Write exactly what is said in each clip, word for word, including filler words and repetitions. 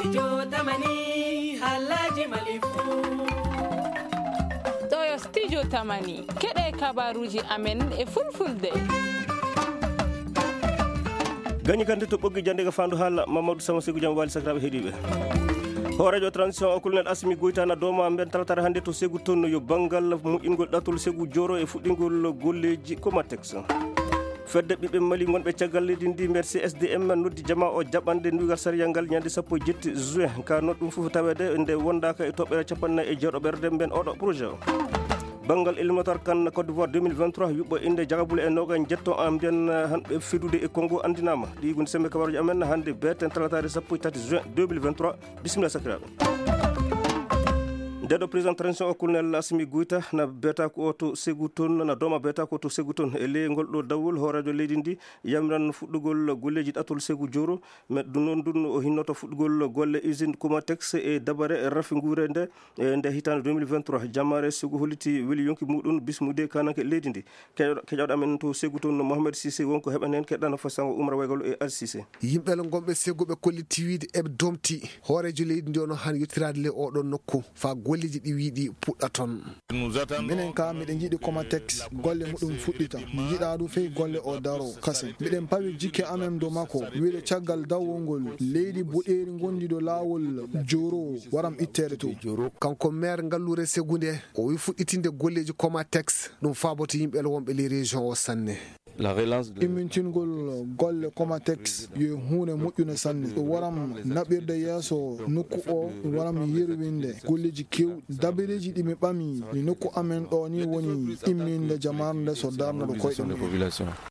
Studio Tamani, haalaaji Mali fuu. Ɗoo yo Studio Tamani, keɗee kabaaruuji amen e Fulfulde. Gañi kante to ɓoggi jannde ga faandu haala, Mamadou Sama Segu jam waali sakiraaɓe heɗiiɓe. Hooreejo transition o Colonel Assimi Goïta na dooma mben talataare hannde to Segu toon yo banngal moƴƴingol ɗatol Segu Joro e fuɗɗingol golleeji Comatex. Fedde ɓiɓɓe Mali wonɓe caggal leydi ndi, mbiyetee C S D M, noddi jamaa o jaɓande ndugal sariyal ngal ñande sappo e jetti juin. Ka no ɗum fof taweede nde wondaaka e toɓɓere cappanɗe nayi e jeeɗo ɓerde mben oɗo projet o. Banngal éliminatoire CAN Côte d'Ivoire deux mille vingt-trois yuɓɓo innde jagabule e noogaas e jeetto, en mbiyan, eh, hanɓe fidude e Congo anndinaama. Ɗii woni semmbe kabaaruuji amen hannde beeten talataare sappo e tati juin deux mille vingt-trois. Bisimilla sakiraaɓe. Nde ɗo président transition o Colonel Assimi Goïta na beeta ko o to Segu toon, na dooma beeta ko to Segu toon. E ley ngol ɗo dawol hooreejo leydi ndi yamiran fuɗɗugol golleeji ɗatol Segu Joro. Mais ɗum noon, ɗum o hinnoto fuɗɗugol golle usine Comatex e dabare rafi nguure nde, e nde hitaande deux mille vingt-trois. Jammaare Segu holliti weli yonki muɗum bismude kaananke leydi ndi. Keƴo-, keƴoɗo amen to Segu toon, Mohamed Cissé, wonko heɓanen keɗɗana fasango Umar Waygalo e Al Cissé. Yimɓe le ngonɓe Segu ɓe kolliti wiide eɓe domti hooreejo leydi ndi ono han yottiraade le oɗo nokku faa golleeji ɗi wiiɗi puɗɗa toon. Minen ka miɗen njiɗi Comatex golle muɗum fuɗɗita. Mi yiɗaa ɗum fey golle o daro kasen. Miɗen pawi jikke amen dow makko. Wiide caggal dawol ngol leydi boɗeeri ngondi dow laawol Joro waram itteede to. Kanko maire ngalluure Segu nde, o wi fuɗɗitinde golleeji Comatex, ɗum faaboto yimɓe le wonɓe ley région o sanne. Immintingol golle Comatex yo huunde moƴƴunde sanne. Ɗum waram naɓirde yeeso nokku o, ɗum waram yerwinde golleeji kew-, dabareeji ɗi mi ɓami ni nokku amen ɗo ni woni imminde jamaare nde so darna ɗo koyɗe mum.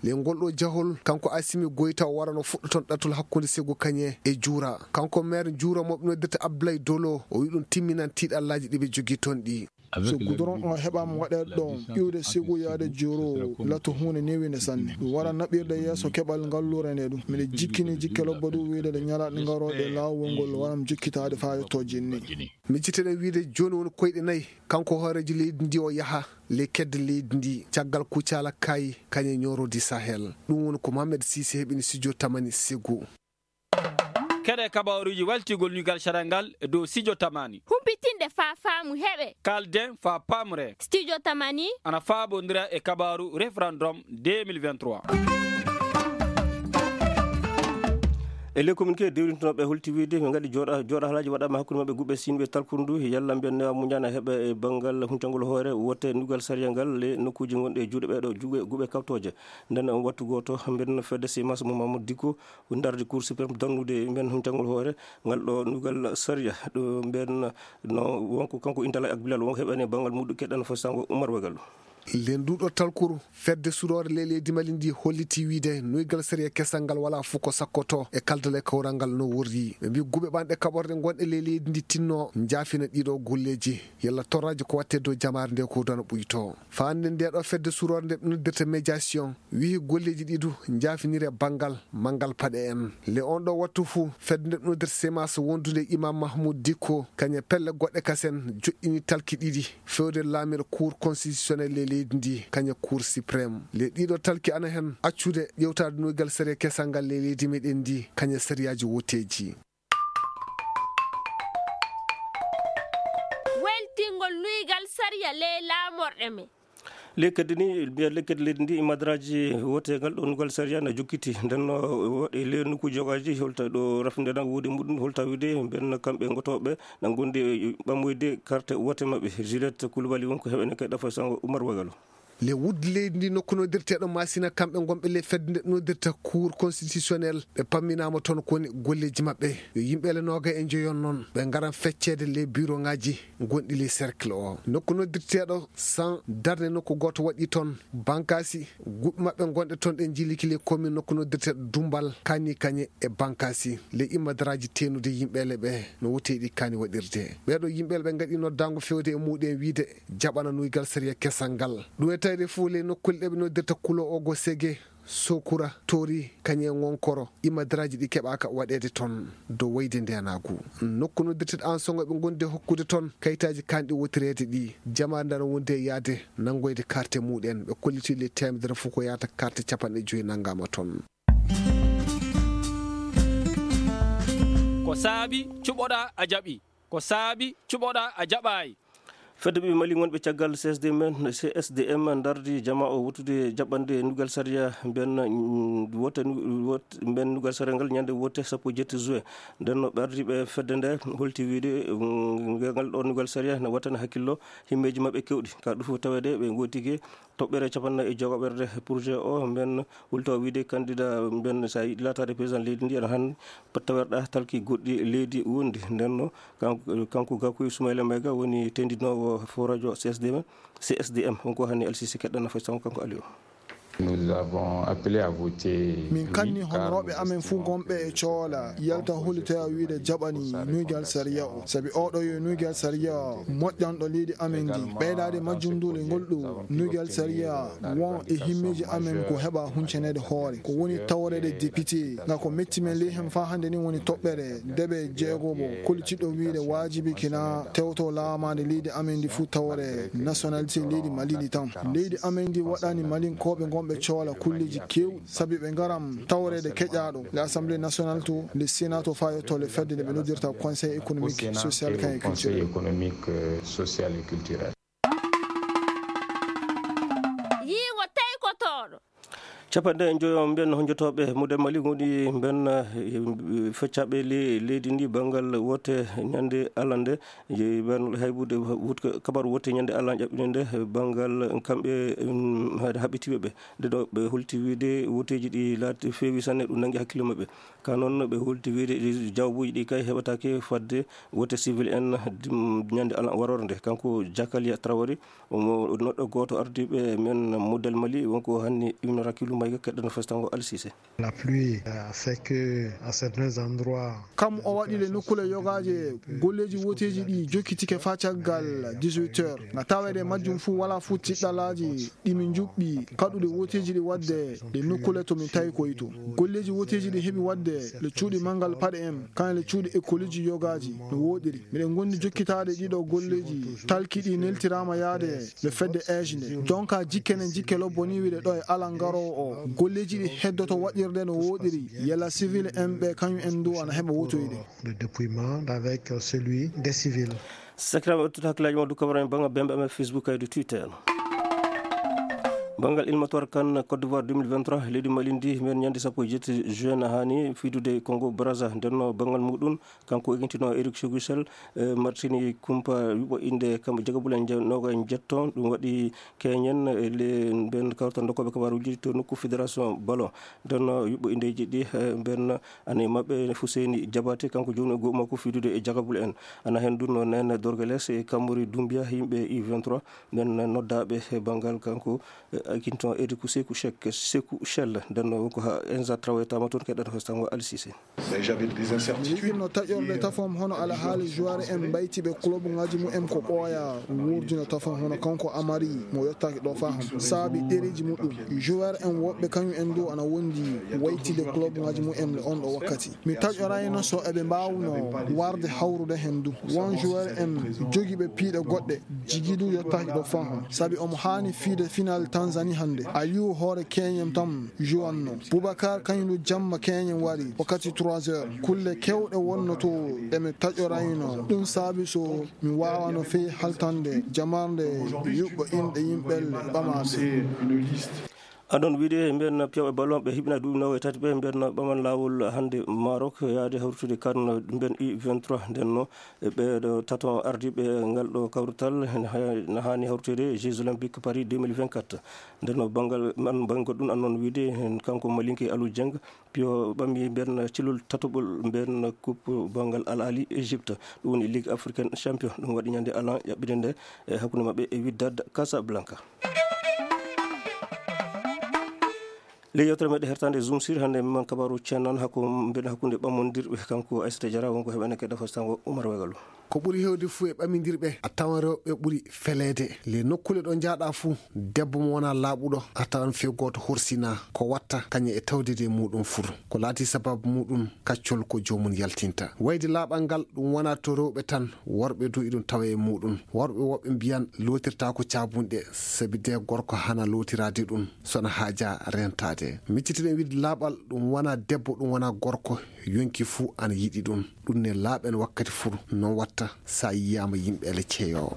Ley ngol ɗo jahol, kanko Assimi Goïta o warano fuɗɗoton ɗatul hakkunde Segu Kañe e Juura. Kanko maire Juura mo ɓe noddirta Abdoulaye Dolo, o wi ɗum timminan tiiɗallaaji ɗi ɓe jogii toon ɗi. So goudron o heɓaama waɗeede ɗo, iwde Segu yaade Joro, lato huunde newiinde sanne. Ɗum wara naɓirde yeeso keɓal ngalluure nde ɗum. Miɗo jikkini jikke lobbo ɗum wiide nde ñalaaɗe ngarooɗe laawol ngol waram jikkitaade faa yotto jinni. Micciteɗen wiide jooni woni koyɗe nayi, kanko hooreejo leydi ndi o yaha ley kedde leydi ndi, caggal Kucala Kayi, kañe Nioro du Sahel. Ɗum woni ko Mohamed Cissé heɓini studio Tamani Segu. Keɗe kabaaruuji waltingol ñiigal sariya ngal e dow Studio Tamani. Humpitinde faa faamu heɓe. Kaalden faa paamree. Studio Tamani. Ana faabondira e kabaaru référendum deux mille vingt-trois. E ley communiqué dewrintonooɓe holti wiide ɓe ngaɗi jooɗa-, jooɗahalaaji waɗaama hakkunde maɓɓe guɓe sinɓe talkundu, yalla mbiyen newa muñana heɓa e banngal huncangol hoore wote ndugal sariya ngal ley nokkuuji gonɗi e juuɗe ɓeeɗo juuɗe guɓe kawtooje. Nden on wattu gooto, mbiyen fedde C M A S mo Mamadou Dicko, ndardi Cour suprême dannude men huncangol hoore ngal ɗo ndugal sariya. Ɗo mbiyen no wonko kanko Intala ak Bilal wonko heɓani e banngal muɗum keɗɗan fo sango Umar Wagal. Ley nduɗo talkuru, fedde suroore ley leydi Mali ndi holliti wiide nuygal sariya kesal ngal walaa fof ko sakkoto e kaldal e kawral ngal no worri. Ɓe mbii guɓe ɓanɗe kaɓorɗe gonɗe ley leydi ndi tinno njaafina ɗiɗo golleeji. Yalla torraaji ko waɗtee dow jamaare nde ko dona ɓuyto. Faa hannde ndee ɗoo fedde suroore nde ɓe noddirta médiation, wiyi golleeji ɗii du njaafiniree banngal manngal paɗe en. Le on ɗoo wattu fuu, fedde nde ɓe noddirta C M A S wondunde e Imam Mahmoud Dicko, kañe pelle goɗɗe kasen joɗɗini talki ɗiɗi, feewde laamirɗo Cour constitutionnelle e leydi ndi, kañe Cour suprême. Le ɗii ɗoo talki ana hen accude ƴeewtaade nuygal sariya kesal ngal ley leydi meɗen ndi, kañe sariyaaji woteeji. Weltingol nuygal sariya ley laamorɗe men. Lekkadi ni, mbiya lekkadi leydi ndi, madaraaji woteegal ɗo nuygal sariya na jokkiti. Nden no woɗi ley nokkuuji yogaaji, holta ɗo rafinde nan woodi muɗum, holta wiide mbiyen kamɓe ngotooɓe na ngondi ɓammoyde karte wote maɓɓe. Juliette Coulibaly won ko heɓene kay ɗafa sango Umar Wagalo. Le wudde leydi ndi nokku noddirteeɗo Masina, kamɓe ngonɓe le fedde nde noddirta Cour constitutionnelle, ɓe pamminaama toon ko woni golleeji maɓɓe. Yo yimɓe le nooga e njoyon noon, ɓe ngaran fecceede le bureau ŋaaji gonɗi le cercle o. Nokku noddirteeɗo San darnde nokku gooto waɗi toon, Bankaasi, guɓe maɓɓe gonɗe toon ɗe njiliki le commune nokku noddirteeɗo Dumbal, Kani Kañe e Bankaasi. Le immadaraaji teenude yimɓe le ɓe no wotee ɗi kaani waɗirde. Ɓee ɗoo yimɓe le ɓe ngaɗi noddaango feewde e muuɗum wiide, jaɓana nuygal sariya kesal ngal. Ɗum e tawde fof ley nokkuule ɗe ɓe noddirta Kulo Ogo Sege, Sokura, Tori, kañe Ngonkoro, imadaraaji ɗi keɓaaka waɗeede toon dow wayde ndeenaagu. Nokku noddirteeɗo Ansogo ɓe ngondi hokkude toon kayitaaji kaanɗi wotireede ɗi. Jamaare nde ana wondi e yahde nanngoyde karte muuɗum. Ɓe kolliti le teemedere fof ko yahata karte capanɗe joy nanngaama toon. Ko saabi cuɓoɗaa a jaɓii? Ko saabi cuɓoɗaa a jaɓaay? Fedde ɓiɓɓe Mali wonɓe caggal C S D M, C S D M ndardi jamaa o wottude jaɓɓande ndugal sariya mben, mm, wote nu-, wot-, mben ndugal sariya ngal ñande wote sappo e jetti juin. Nden no ɓe ardiiɓe fedde nde holti wiide, mm, ngal ɗo ndugal sariya ne wattana hakkillo himmeeji maɓɓe kewɗi. Ka ɗum fof taweede ɓe ngootike toɓɓere cappannayi e jeegoɓerde projet o, mben wulto wiide kandida mben, so a yiɗi laataade président leydi ndi, aɗa haani tawerɗa talki goɗɗi leydi wondi. Nden no kanko, kanko Gakou Soumaïla Maïga woni tendinoowo fo radio C S D M, C S D M. On ko hani L C C keɗɗana fay sango kanko Aliou. Nous avons appelé à voter. Min kanni honooɓe amen fuu gonɓe e Coola yalta hollitoya wiide jaɓani nuygal sariya o, sabi oɗo yo nuygal sariya moƴƴanɗo leydi amen ndi. Ɓeydaade majjum ndu le ngol ɗo nuygal sariya won e himmeeji amen ko heɓa huncaneede hoore, ko woni tawreede député. Nga ko metti men ley hen faa hannde ni woni toɓɓere nde ɓe jeegomo kollitiɗo wiide waajibi kina tewto laamaande leydi amen ndi fuu tawre nationalité leydi Mali ndi tan. Leydi amen ndi waɗani Malinkooɓe gonɓe Coola kulleeji keewɗi, sabi ɓe ngaram tawreede keƴaaɗo le Assemblée nationale to, le Sénat to, faa yetto le fedde nde ɓe noddirta Conseil économique, social, et culturel. Conseil économique, euh, social et culturel. Yiingo taykotooɗo. Capanɗe njoyo mbiyen honjotooɓe Mudel Mali woni mbiyen, eh, feccaaɓe le-, leydi ndi banngal wote ñande alande. Jeyi mbiyen haybude wut-, kabaru wote ñande alan ƴaɓɓinde nde banngal kamɓe, mm, haɓɓitiiɓe ɓe. Nde ɗo ɓe holti wiide woteeji ɗi laati feewi sanne, ɗum nanngi hakkille maɓɓe. Ka noon ɓe holti wiide jawbuuji ɗi kay heɓataake fadde wote civil en dim-, ñande alan warorde nde. Kanko Jakalia Traoré, omo neɗɗo gooto ardiiɓe men Mudel Mali, wonko hanni Ibn Rakilou Maïga keɗɗano festango Al Cissé. La pluie, euh, fait que à certains endroits, kam o waɗi le nokkule yogaaje, golleeji woteeji ɗi jokkitike faa caggal dix-huit heures. Na taweede majjum fuu walaa fuu tiɗɗalaaji ɗi min njuɓɓi kaɗude woteeji ɗi waɗde ɗe nokkule to min tawi koy to. Golleeji woteeji ɗi heɓi waɗde le cuuɗi manngal paɗe en, kañum le cuuɗi ekoliiji yogaaji no wooɗiri. Miɗen ngondi jokkitaade ɗiɗo golleeji talki ɗi neltiraama yaade le fedde eeje nde. Jonka jikke nen jikke lobbo ni wiide ɗo e alan garoowo o. Golleeji ɗi heddoto waɗirde no wooɗiri. Yalla civil en ɓe kañum en du ana heɓa wotoyde. De dépouillement avec celui des civils. Sakiraaɓe, ɓe tottaa hakkillaaji mon du kabaru en banngal bembe amen Facebook kay du Twitter. Banngal éliminatoire CAN Côte d'Ivoire deux mille vingt-trois, leydi Mali ndi, men ñande sappo e jetti juin, na haani fiidude Congo Brazza. Nden no banngal muɗum, kanko egintino Eric Chekuchel, eh, martini kumpa yuɓɓo innde kamɓe jagabule en je-, noogay e njetto. Ɗum waɗi keñen, eh, le-, mben kawtal dokkooɓe kabaaruuji to nokku fédération ballon. Nden no yuɓɓo inndeeji ɗi, eh, mben Ana e maɓɓe Fuseni Jabate, kanko jooni e go'u makko fiidude e jagabule en. Ana heen dun no Nene Dorgales e Kamori Dumbia, yimɓe U vingt-trois, nden noddaaɓe e banngal kanko, eh, Akinton Eriku Seku Shek, Seku Shell, nden no ko ha Enza Traoré tama toon, keɗɗata hostango Al Cissé. Mi yiɗino taƴorde tafam hono alhaali joueur en mbaytiiɓe club ngaaji mumen ko ɓooya wuurdino tafam hono kanko Amari mo yottaaki ɗo faa hannde. Saabi ɗereeji muɗum. Joueur en woɓɓe kañum en du ana wondi waytide club ngaaji mumen le on ɗo wakkati. Mi taƴorayno so eɓe mbaawno warde hawrude hen du. Won joueur en jogiiɓe piiɗe goɗɗe, jigi du yottaaki ɗo faa hannde. Sabi omo haani fiide final Tanzanie hannde. Aliou hoore keñen tan jouanno. Boubacar kañum du jamma keñen wari wakkati trois heures. Kulle kewɗe wonno to eɓe taƴorayno. Ɗum saabi so mi waawano fey haltande jamarnde yuɓɓo inɗe yimɓe ɓamaaɓe. Adon wiide mbiyen piyawɓe ballon ɓe hiɓina duuɓi noogay tati ɓe mbiyen ɓaman laawol hannde Maroc yaade hawritude CAN mbiyen U vingt-trois. Nden no e ɓeeɗo tato ardiiɓe ngal ɗo kawrital na ha-, na haani hawriteede Jeux Olympiques Paris deux mille vingt-quatre. Nden no banngal man, banngal ɗum annon wiide hen kanko Malinke Aliou Dieng, piyo ɓammi mbiyen cilol tatoɓol mbiyen coupe banngal Al Ahli Égypte, ɗum woni Ligue Africaine Champion. Ɗum waɗi ñande alan ƴaɓɓinde nde e hakkunde maɓɓe e Wydad Casablanca. Ley yewtere meɗen hertande Zoom Sir hannde, man kabaru ceenan hakku-, mbiyen hakkunde ɓammondirɓe, kanko Aissata Diarra wonko heɓene kedda fastango Oumar Wegalo. Ko ɓuri heewde fuu e ɓamindirɓe, a tawan rewɓe ɓuri feleede. Ley nokkuule ɗo njahɗaa fuu, debbo mo wonaa laaɓuɗo, a tawan fii gooto horsinaa. Ko watta kañum e tawdeede e muuɗum fuu. Ko laatii sabaabu muuɗum, kaccol ko joomum yaltinta. Wayde laaɓal ngal, ɗum wonaa to rewɓe tan, worɓe duu iɗum tawee e muuɗum. Worɓe woɓɓe mbiyan lootirtaako caabunɗe, sabi dee gorko hana lootiraade ɗum, so na haajaa reentaade. Miccitiɗen wiide laaɓal, ɗum wonaa debbo, ɗum wonaa gorko, yonki fuu ana yiɗi ɗum. Ɗum ne laaɓen wakkati fuu, noon watta so a yiyaama yimɓe ele ceyoo.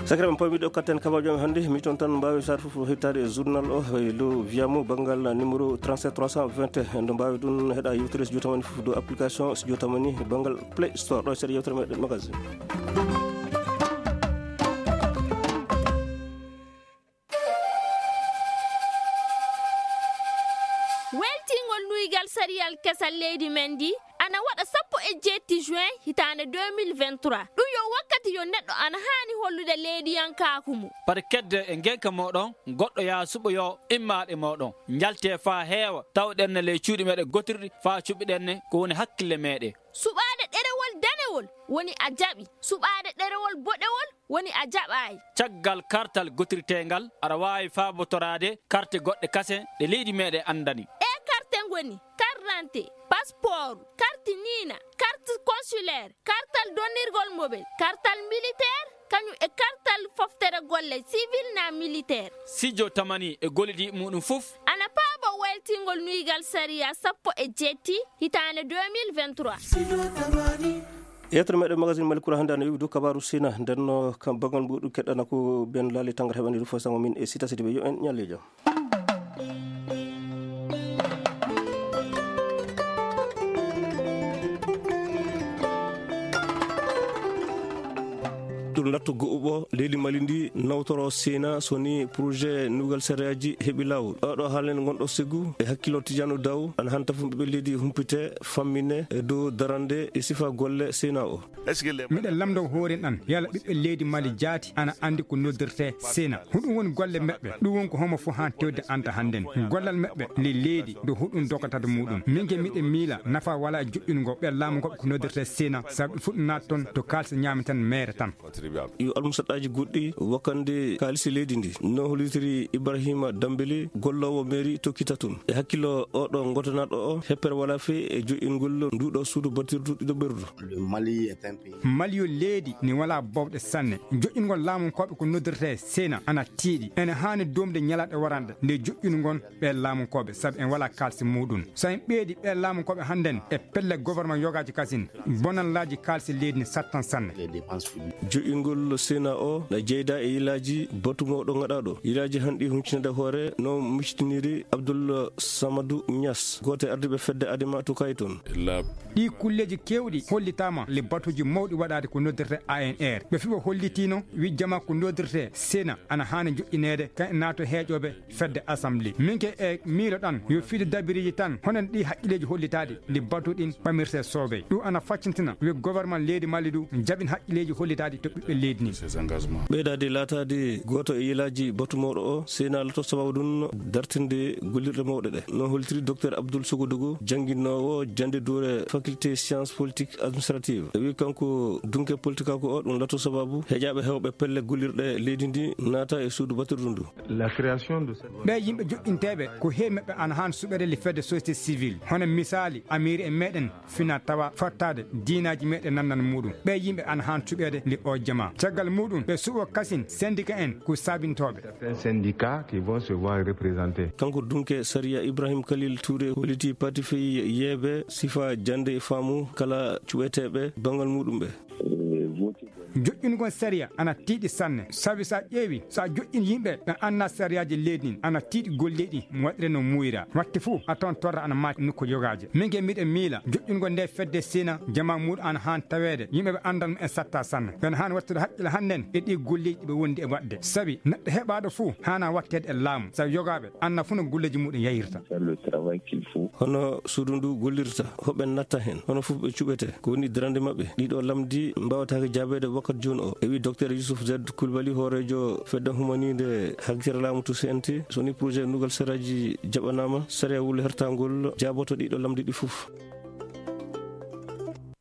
Sakiraaɓe, pawmiiɗo katten kabaajo men hannde, mi toon tan mbaawi saare fof hettaade e journal o, e lo wiyamo banngal numéro trente-sept trois cent vingt et un, ndo mbaawi ɗum heɗa yewtere Studio Tamani fof dow application Studio Tamani banngal Play Store, ɗo e seeɗa yewtere meɗen magazine. Weltingol nuygal sariyal kesal leydi men ndi ana waɗa sappo e jeetti juin hitaande deux mille vingt-trois. Ɗum yo wakkati yo neɗɗo ana haani hollude leydiyankaaku mum. Pati kedde e ngenka mooɗon, goɗɗo yaha suɓoyoo immaaɗe mooɗon. Njaltee faa heewa, tawɗen ne ley cuuɗi meɗen gotirɗi faa cuɓiɗen ne ko woni hakkille meɗen. Suɓaade ɗerewol danewol woni a jaɓi. Suɓaade ɗerewol boɗewol woni a jaɓaay. Caggal kartal gotirteengal, aɗa waawi faabotoraade karte goɗɗe kasen ɗe leydi meɗen anndani. Ɗee karte ngoni: karte d'identité, passeport, karte niina, karte consulaire, kartal donnirgol mobel, kartal militaire, kañum e kartal foftere golle civil naa militaire. Studio Tamani e gollidiiɓe muuɗum fof ana paaboo weltingol nuygal sariya sappo e jeetti hitaande deux mille vingt-trois. Yettere meɗen magazine Mali Kura hannde ana iwi dow kabaaru Sina. Nden no kam bangal mbuuɗu keɗɗana ko Ben Lali Tangara heɓani ɗum fof sango min e Sita Sidibe. Yo en ñalle jam. Ɗum latto go'uɓo leydi Mali ndi nawtoro Sina so ni projet nugal sariyaaji heɓi laawol. Oɗo haalen ngonɗo segu e hakkillo Tidiano Daw ana hanta fuu ɓiɓɓe leydi humpite fammine e dow darande e sifa golle Sina o. Miɗen lamndoo hooren ɗan, yala ɓiɓɓe leydi Mali jaati ana anndi ko noddirtee Sina? Huɗum woni golle meɓɓe? Ɗum woni ko homo fof haan tewde anta hannden. Gollal meɓɓe ley leydi, nde huɗum dogotade muɗum. Min ke miɗen miila nafa wala e joƴƴungol ɓe laamu ngoɓe ko noddirtee Sina, sabu ɓe fuɗɗo naata toon to kaalisi ñaami tan, meere tan. Yo almusaɗɗaaji goɗɗi wakkande kaalisi leydi ndi. No hollitiri Ibrahima Dambeli, golloowo meeri tokkita toon. E hakkillo oɗo ngotanaaɗo o, heppere walaa fey e joƴƴingol nduuɗo suudu batirdu ɗiɗo ɓerdu. Mali yo leydi ni walaa bowɗe sanne. Joƴƴingol laamunkooɓe ko noddirtee Sena ana tiiɗi. Ene haani doomde ñalaaɗe waranɗe nde joƴƴingol ɓee laamunkooɓe, sabu en walaa kaalisi muuɗum. So en ɓeydii ɓee laamunkooɓe hannden e pelle goborma yogaaji kasin, bonallaaji kaalisi leydi ni sattan sanne. Joƴƴingol Sena o na jeyda e yilaaji batu mawɗo ngaɗaaɗo. Yilaaji hanɗi huncinaade hoore no miccitiniri Abdul Samadu Ñas, gooto e ardiiɓe fedde Adema to Kayton. Ɗii kulleeji keewɗi hollitaama le batuuji mawɗi waɗaade ko noddirtee A N R. Ɓe fii ɓe hollitiino wii jamaa ko noddirtee Sena ana haani joƴƴineede, kañum naato heeƴooɓe fedde Assemblee. Min ke e miilo ɗan yo fiidu dabiriiji tan, hono ɗii haqqilleeji hollitaaɗi, ɗi batu ɗin ɓamirtee soobee. Ɗum ana faccintina wi goborman leydi Mali du jaɓin haqqilleeji hollitaaɗi to ɓiɓɓe leydi ni. Ɓeydaade laataade gooto e yilaaji batu mawɗo o, Sena lato sababu ɗum dartinde gollirɗe mawɗe ɗe. No hollitiri Docteur Abdoul Sogodougou, jannginoowo jannde duure faculté science politique administrative. E wi kanko dunke politikaaku o, ɗum lato sababu heƴaaɓe heewɓe pelle gollirɗe leydi ndi naata e suudu batirdu ndu. La création de cette... Ɓee yimɓe joƴƴinteeɓe ko heewi maɓɓe ana haani suɓeede le fedde société civile, hono misaali amiiri en meɗen fina tawa fottaade diinaaji meɗen nanndana muuɗum. Ɓee yimɓe ana haani suɓeede le o jamaa. Caggal muuɗum ɓe suɓo kasin syndicat en ko saabintooɓe. Certains syndicats qui vont se voir représentés. Kanko dunke sariya Ibrahim Khalil Touré holliti parti fii yeeɓe sifa jannde e faamu kala cuɓeteeɓe banngal muuɗum ɓe. Joƴƴingol sariya ana tiiɗi sanne, sabi so a ƴeewi, so a joƴƴin yimɓe ɓe annda sariyaaji leydi ndin, ana tiiɗi golleeɗi mo waɗiree no muuyra. Waɗti fuu a tawan torra ana maati nokku yogaaje. Min ke miɗen miila joƴƴingol nde fedde Sena jamaa muuɗum ana haani taweede yimɓe ɓe anndan e satta sanne. Ɓen haani wattude haqqille hannden e ɗii golleeji ɗi ɓe wondi e waɗde. Sabi neɗɗo heɓaaɗo fuu haana watteede e laamu, sabi yogaaɓe annda fuu no golleeji muuɗum yahirta. Hono suudu ndu gollirta, hoɓe natta hen, hono fof ɓe cuɓete, ko woni darande maɓɓe? Ɗiɗo lamndi mbaawataake jaabeede wakkati jooni o, e wi Docteur Youssouf Z Coulibaly, hooreejo fedde humaniinde hakkitira laamu to C N T. So ni projet nugal sariyaaji jaɓanaama, sariya wul hertangol jaaboto ɗiɗo lamndi ɗi fof.